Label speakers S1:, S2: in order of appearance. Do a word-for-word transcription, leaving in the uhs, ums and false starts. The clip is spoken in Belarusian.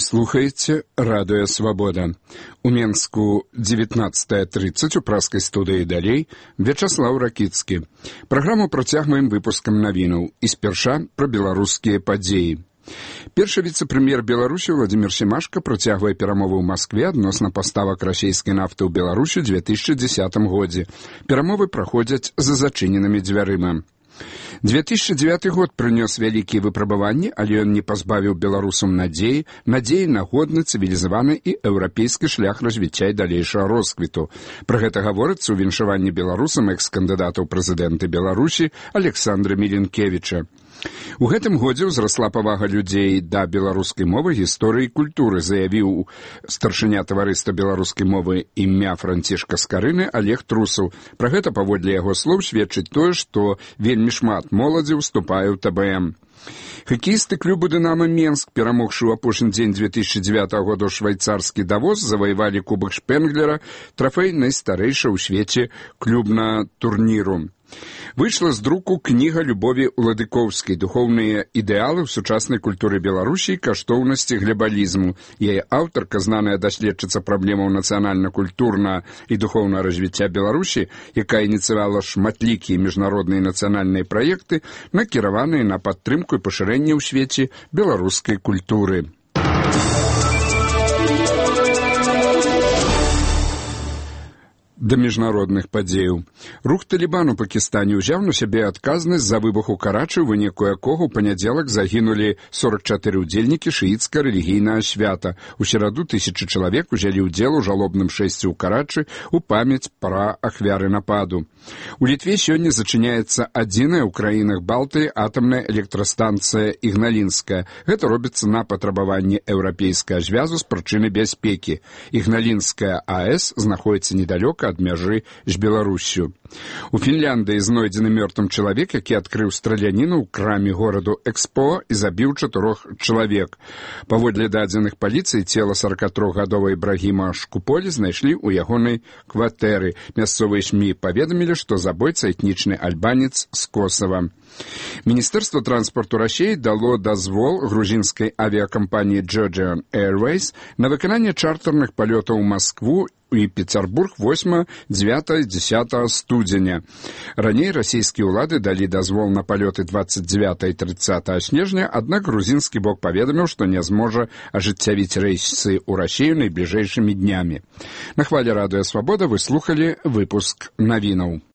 S1: слухаеце радыё «Свабода». У Менску дзевятнаццатая трыццаць у праскай студыі далей Вячаслаў Ракіцкі. Праграму працягваем выпускам навінаў і спярша пра беларускія падзеі. Першы віцэ-прэм'ер Беларусі Владзімір Семашка працягвае перамовы ў Маскве адносна паставак расійскай нафты ў Беларусі ў две тысячы дзесятым годзе. Перамовы праходзяць за зачыненымі дзвярыма. две тысячи девятый год прынёс вялікія выпрабаванні, але ён не пазбавіў беларусам надзеі, надзеі на годны, цывілізаваны і еўрапейскі шлях развіцця і далейшага росквіту. Пра гэта гаворыцца ў віншаванні беларусам экс-кандыдата ў прэзідэнты Беларусі Александра Міленкевіча. У гэтым годзе ўзрасла павага людзей да беларускай мовы, гісторыі і культуры, заявіў старшыня таварыства беларускай мовы імя Францішка Скарыны Олег Трусаў. Пра гэта, паводле яго слоў, сведчыць тое, што вельмі шмат моладзі ўступае ў тэ бэ эм. Хакеісты клубу «Дынамо Менск», перамогшы ў апошні дзень две тысячи девятого года ў швайцарскі Давос, заваявалі кубак Шпенглера, трафей найстарэйшага ў свеце клубна турніру. Выйшла з друку кніга Любові Уладыкоўскай «Духоўныя ідэалы ў сучаснай культуры Беларусі і каштоўнасці глебалізму». Яе аўтарка, знаная даследчыца праблемаў нацыянальна-культурна і духоўнага развіцця Беларусі, якая ініцыявала шматлікія міжнародныя і нацыянальныя праекты, накіраваныя на падтрымку і пашырэнне ў свеце беларускай культуры. Да міжнародных падзеяў. Рух «Талібан» у Пакістане ўзяў на сябе адказнасць за выбух у Карачы, у выніку якога ў панядзелак загінулі сорок чатыры ўдзельнікі шыіцка-рэлігійнага свята. У сераду тысячы чалавек узялі ўдзел у жалобным шэсці ў Карачы у памяць пра ахвяры нападу. У Літве сёння зачыняецца адзіная ў краінах Балтыі атамная электрастанцыя Ігналінская. Гэта робіцца на патрабаванне еўрапейскага звязу з прычыны бяспекі. Ігналінская а е с знаходіцца недалёка ад мяжы з Беларуссю. У Фінляндыі знойдзены мёртвым чалавек, які адкрыў страляніну ў краме гораду Экспо і забіў чатырох чалавек. Паводле дадзеных паліцыі цела сорокатрохгадовага Ібрагіма Шкуполі знайшлі ў ягонай кватэры. Мясцовыя СМІ паведамілі, што забойца этнічны альбанец з Косава. Міністэрства транспарту Расіі дало дазвол грузінскай авіакампаніі Georgian Airways на выкананне чартэрных палётаў у Маскву і Петербург восьмага, дзевятага, дзесятага студзеня. Раней расійскія ўлады далі дазвол на палёты двадцать девятого і тридцатого снежня, аднак грузінскі бок паведаміў, што не зможа ажыццявіць рэйсы ў Расію найбліжэйшымі днямі. На хвале радыё «Свабода» вы слухалі выпуск навінаў.